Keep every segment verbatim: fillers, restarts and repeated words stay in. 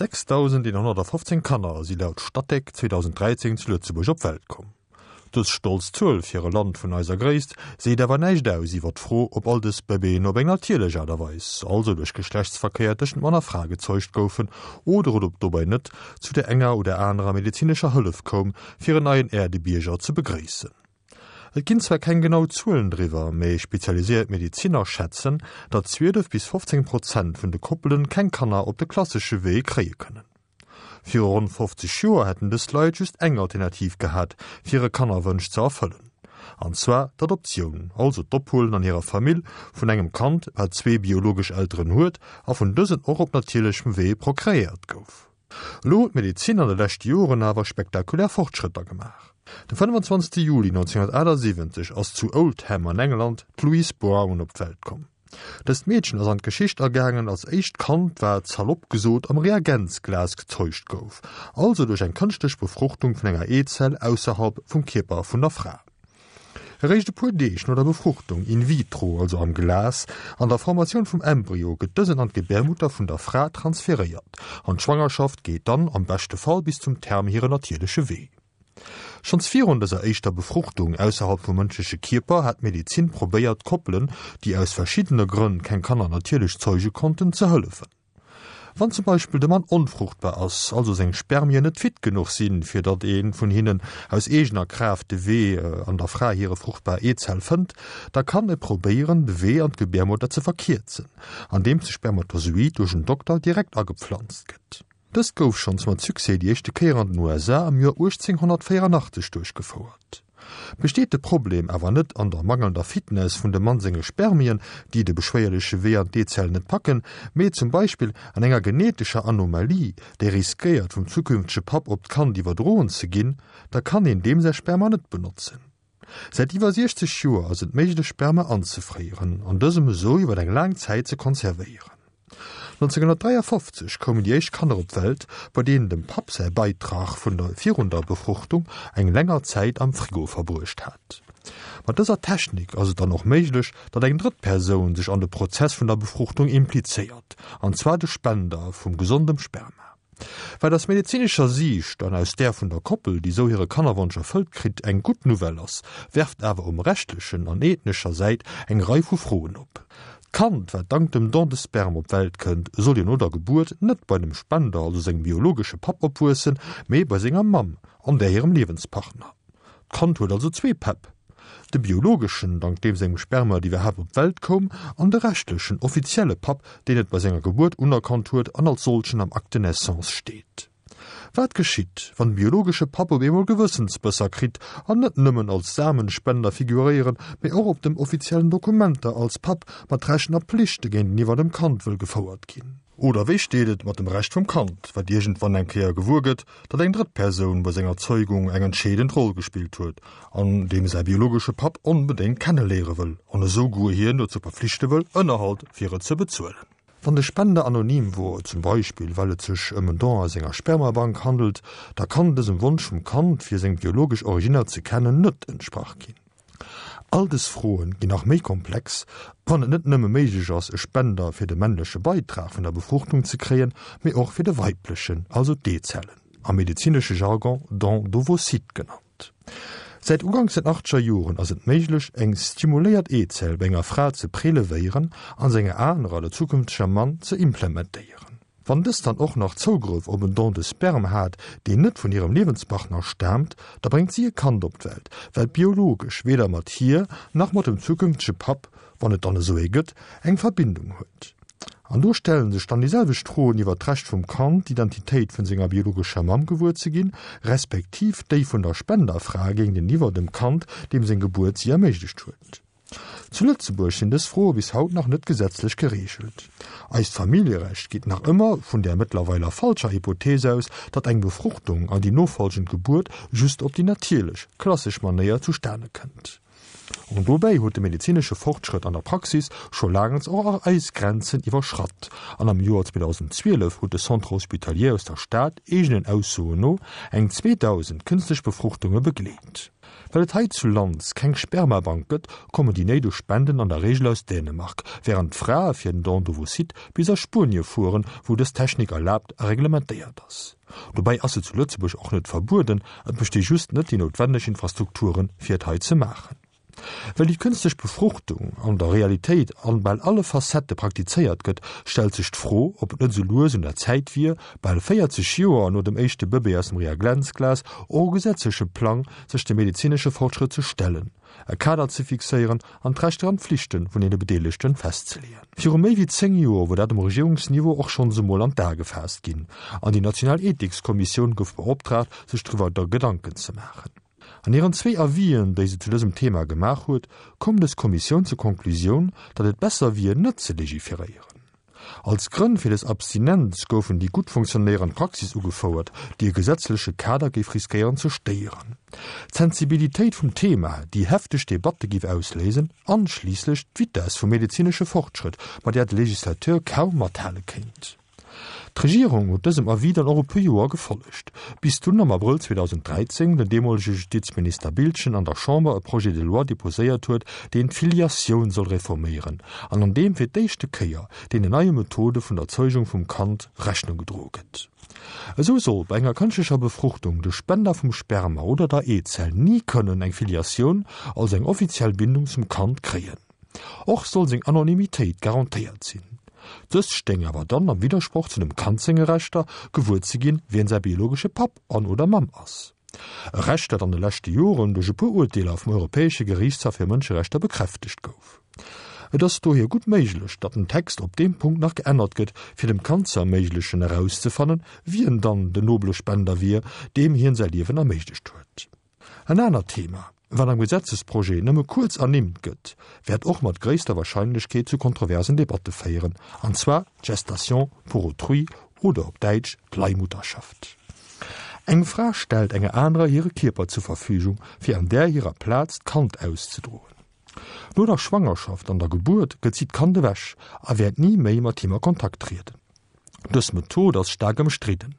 sechstausendeenhonnertafofzéng Kanner si laut Statec zweedausenddräizéng zu Lëtzebuerg op d'Welt komm. Dës stolz Zuel fir e Land vun eiser Gréisst seet awer näischt aus iwwer d'Fro, ob all dës Bëbeeën op eng natierlech Aart a Weis, also duerch Geschlechtsverkéier tëschent Mann a Fra gezeugt goufen, oder et ob dobäi net zu der enger oder anerer medezinescher Hëllef koum, fir en neien Äerdebierger ze begréissen. Et ginn zwar keng genau Zuelen driwwer, mee spezialiséiert Medeziner schätzen, datt zwielef bis fofzéng Prozent vun de Koppelen keng Kanner op de klassesche Wee kréie kënnen. Viru ronn fofzeg Joer hätten dës Leit just eng Alternativ gehat, fir hire Kannerwënsch ze erfëllen, an zwar d'Adoptioun, also d'Ophuelen an hirer Famill vun engem Kand, wat zwee biologesch Elteren huet a vun dësen och op natierlechem Wee prokreéiert gouf. Elo huet d'Medezin an de leschte Joren awer spektakulär Fortschrëtter gemaach. De fënnefenzwanzegste Juli nonzénhunnertaachtsiwwenzeg ass zu Oldham an England d'Louise Brown op d'Welt komm. Dëst Meedchen ass an d'Geschicht agaangen als éischt Kand, wat, salopp gesot, am Reagenzglas gezeugt gouf, also duerch eng kënschtlech Befruchtung vun enger Eezell ausserhalb vum Kierper vun der Fra. Eréischt e puer Deeg no der Befruchtung in vitro, also am Glas, an der Formatioun vum Embryo gëtt dësen an d'Gebärmutter vun der Fra transferéiert an d'Schwangerschaft geet dann am beschte Fall bis zum Terme hiren natierleche Wee. Schonns virun dëser éischter Befruchtung ausserhalb vum mënschleche Kierper hat d'Medezin probéiert, Koppelen, déi aus verschiddene Grënn keng Kanner natierlech zeuge konnten, ze hëllefen. Wann zum Beispill de Mann onfruchtbar ass, also seng Spermien net fit genuch sinn, fir datt ee vun hinnen aus eegener Kraaft de Wee an der Fra hire fruchtbar Eezell fënnt, da kann e probéieren, de Wee an d'Gebärmutter ze verkierzen, andeems de Spermatozoid duerch en Dokter direkt agepflanzt gëtt. Dëst gouf schonns mat Succès déi éischte Kéier an den U S A am Joer uechtzénghonnertvéieranachteg duerchgefouert. Besteet de Problem awer net an der mangelnder Fitness vun dem Mann senge Spermien, déi de beschwéierleche Wee an d'Eezell net packen, mee zum Beispill an enger genetescher Anomalie, déi riskéiert vum zukünftege Papp op d'Kand iwwerdroen ze ginn, da kann een deem säi Sperma net benotzen. Säit iwwer siechzeg Joer ass et méiglech Sperma anzefréieren an dësem esou iwwer eng laang Zäit ze konservéieren. nonzénghonnertdräiafofzeg koumen déi éischt Kanner op d'Welt, bei deenen dem Papp säi Beitrag vun der virun der Befruchtung eng länger Zäit am Frigo verbruecht hat. Mat dëser Technik ass et dann och méiglech, datt eng drëtt Persoun sech an de Prozess vun der Befruchtung implizéiert, an zwar de Spender vum gesondem Sperma. Wat aus medezinescher Siicht an aus där vun der Koppel, déi sou hire Kannerwonsch erfëllt kritt, eng gutt Nouvelle ass, werft awer um rechtlechen an ethnescher Säit eng Rei vu Froen op. D'Kand, wat dank dem Don de sperme op d'Welt kënnt, soll jo no der Gebuert net bei dem Spender, also sengem biologesche Papp, opwuessen, mee bei senger Mamm an där hirem Liewenspartner. D'Kand huet also zwee Päpp, de biologeschen, dank deem sengem Sperma et iwwerhaapt op d'Welt koum, an de rechtlechen, offizielle Papp, deen et bei senger Gebuert unerkannt huet an als solchen am Acte de naissance steet. Wat geschitt, wann de biologesche Papp op eemol Gewëssensbësser kritt an net nëmmen als Samenspender figuréieren, mee och op dem offiziellen Dokumenter als Papp mat Rechten a Plichte géinteniwwer dem Kand wëll gefouert ginn? Oder wéi steet et mat dem Recht vum Kand, wat iergendwann eng Kéier gewuer gëtt, datt eng drëtt Persoun bei senger Zeugung eng entscheedend Roll gespillt huet an deem säi biologesche Papp onbedéngt kenneléiere wëll an esou guer hien dozou verflichte wëll, Ënnerhalt fir et ze bezuelen? Wann de Spender anonym wor, zum Beispill well et sech ëm en Don aus enger Spermabank handelt, da kann dësem Wonsch vum Kand, fir seng biologesch Originner ze kennen, net entsprach ginn. All dës Froen ginn nach méi komplex, wann et net nëmme méiglech ass, e Spender fir de männleche Beitrag vun der Befruchtung ze kréien, mee och fir de weiblechen, also d'Eezellen, am medezinesche Jargon Don d'ovocytes genannt. Säit uganks den achtzeger Joren ass et méiglech, eng stimuléiert Eezell bei enger Fra ze prelevéieren an se enger anerer, der zukünfteger Mamm, ze implementéieren. Wann dës dann och nach Zougrëff op en Don de sperme hat, deen net vun hirem Liewenspartner staamt, da bréngt si e Kand op d'Welt, wat biologesch weder mat hir nach mat dem zukünftege Papp, wann et dann esou ee gëtt, eng Verbindung huet. An do stellen sech dann déi selwecht Froen iwwer d'Recht vum Kand, d'Identitéit vun senger biologescher Mamm gewuer ze ginn, respektiv déi vun der Spenderfra géinteniwwer dem Kand, deem seng Gebuert si erméiglecht huet. Zu Lëtzebuerg sinn dës Froe bis haut nach net gesetzlech gereegelt. Eist Familljerecht geet nach ëmmer vun där mëttlerweiler falscher Hypothees aus, datt eng Befruchtung an déi nofolgend Gebuert just op déi natierlech, klassesch Manéier zustane kënnt. An dobäi huet de medezinesche Fortschrëtt an der Praxis scho laangens och eis Grenzen iwwerschratt an am Joer zweedausendzwielef huet de Centre hospitalier aus der Stad eegenen Aussoen no eng zweedausend kënstlech Befruchtunge begleet. Well et heizulands keng Spermabank gëtt, kommen déi néideg Spenden an der Reegel aus Dänemark, wärend d'Frae fir den Don d'ovocytes bis a Spuenie fueren, wou dës Technik erlaabt a reglementéiert ass. Dobäi ass se zu Lëtzebuerg och net verbueden, et besti just net déi noutwenneg Infrastrukturen, fir et hei ze maachen. Well déi kënstlech Befruchtung an der Realitéit an bal alle Facettë praktizéiert gëtt, stellt sech d'Fro, ob et net sou lues un der Zäit wier, bal véierzeg Joer no dem éischte Bëbee aus dem Reagenzglas, och um gesetzleche Plang sech dem medezinesche Fortschrëtt ze stellen, e Kader ze fixéieren an d'Rechter an d'Flichte vun deene Bedeelegte festzeleeën. Viru méi wéi zéng Joer wor dat um Regierungsniveau och schonns emol an d'A gefaasst ginn an déi national Ethikskommissioun gouf beoptraagt, sech driwwer Gedanken ze maachen. An hiren zwee Avisen, déi se zu dësem Thema gemaach huet, koum dës Kommissioun zur Konklusioun, datt et besser wier, net ze legiferéieren. Als Grënn fir dës Abstinenz goufen déi gutt funktionéierend Praxis ugefouert, déi e gesetzleche Kader géif riskéieren ze stéieren, d'Sensibilitéit vum Thema, déi hefteg Debatte géif ausléisen, an schliisslech d'Vitess vum medezinesche Fortschrëtt, mat där de Legislateur kaum mathale kéint. D'Regierung huet dësem Avis dann och e puer Joer gefollegt, bis dunn am Abrëll zweedausend dräizéng den deemolege Justizminister Biltgen an der Chamber e Projet de loi deposéiert huet, deen d'Filiatioun soll reforméieren an an deem fir d'éischte Kéier deenen neie Methode vun der Zeugung vum Kand Rechnung gedroe gëtt. Esou soll bei enger kënschtlecher Befruchtung de Spender vum Sperma oder der Eezell ni kënnen eng Filiatioun, also eng offiziell Bindung zum Kand kréien. Och soll seng Anonymitéit garantéiert sinn. Dëst stéing awer dann am Widdersproch zu dem Kand senge Rechter, gewuer ze ginn, wien säi biologesche Papp an oder Mamm ass. E Recht, dat an de leschte Joren duerch e puer Urteeler vum Europäesche Geriichtshaff fir Mënscherechter bekräftegt gouf. Et ass dohier gutt méiglech, datt den Text op deem Punkt nach geännert gëtt, fir dem Kand ze erméiglechen erauszefannen, wien dann den nobele Spender wier, deem hien säi Liewen erméiglecht huet. En anert Thema, wat am Gesetzesprojet nëmme kuerz ernimmt gëtt, wäert och mat gréisster Warscheinlechkeet zu kontroversen Debatte féieren, an zwar d'Gestation pour autrui oder op Däitsch d'Leihmutterschaft. Eng Fra stellt enger anerer hire Kierper zur Verfügung, fir an där hirer Plaz d'Kand auszedroen. No der Schwangerschaft an der Gebuert gëtt si d'Kand ewech a wäert ni méi mat him a Kontakt trieden. Dës Method ass staark ëmstridden.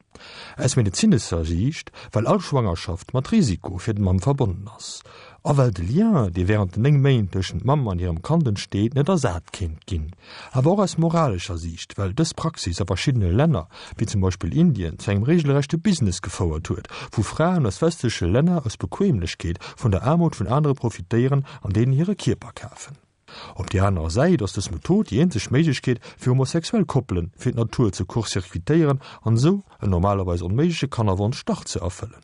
Aus medezinescher Siicht, well all Schwangerschaft mat Risiko fir d'Mamm verbonnen ass, a well de Lien, dee wärend den néng Méint tëschent Mamm an hirem Kand entsteet, net ersat kéint ginn. Awer och aus moralescher Siicht, well dës Praxis a verschiddene Länner, wéi zum Beispill Indien, zu engem reegelrechte Business gefouert huet, wou Fraen aus westleche Länner aus Bequeemlechkeet vun der Aarmut vun anere profitéieren an deenen hire Kierper kafen. Op déi aner Säit ass dës Method déi eenzeg Méiglechkeet fir homosexuell Koppelen, fir d'Natur ze court-circuitéieren an esou en normalerweis onméigleche Kannerwonsch dach ze erfëllen.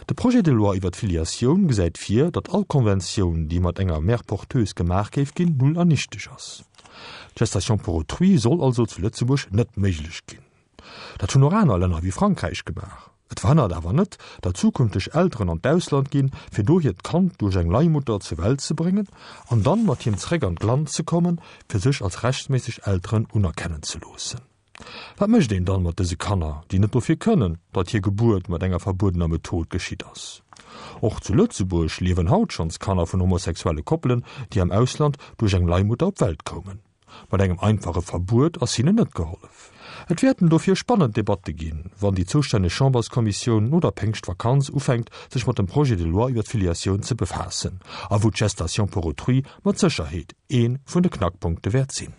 De Projet de loi iwwer d'Filiatioun gesäit vir, datt all Konventioun, déi mat enger Mère porteuse gemaach géif ginn, null an nichteg ass. D'Gestation pour autrui soll also zu Lëtzebuerg net méiglech ginn. Dat hunn och aner Länner wéi Frankräich gemaach. Et verhënnert awer net, datt zukünfteg Elteren an d'Ausland ginn, fir do hiert Kand duerch eng Leihmutter zur Welt ze bréngen an dann mat him zeréck an d'Land ze kommen, fir sech als rechtméisseg Elteren unerkennen ze loossen. Wat mécht een dann mat dëse Kanner, déi net dofir kënnen, datt hir Gebuert mat enger verbuedener Method geschitt ass? Och zu Lëtzebuerg liewen haut schonns Kanner vun homosexuelle Koppelen, déi am Ausland duerch eng Leihmutter op d'Welt koumen. Mat engem einfache Verbuet ass hinnen net gehollef. Et wäerten dofir spannend Debatte ginn, wann déi zoustänneg Chamberskommissioun no der Péngschtvakanz ufänkt, sech mat dem Projet de loi iwwer d'Filiatioun ze befaassen, a wou d'Gestation pour autrui mat Sécherheet ee vun de Knackpunkte wäert sinn.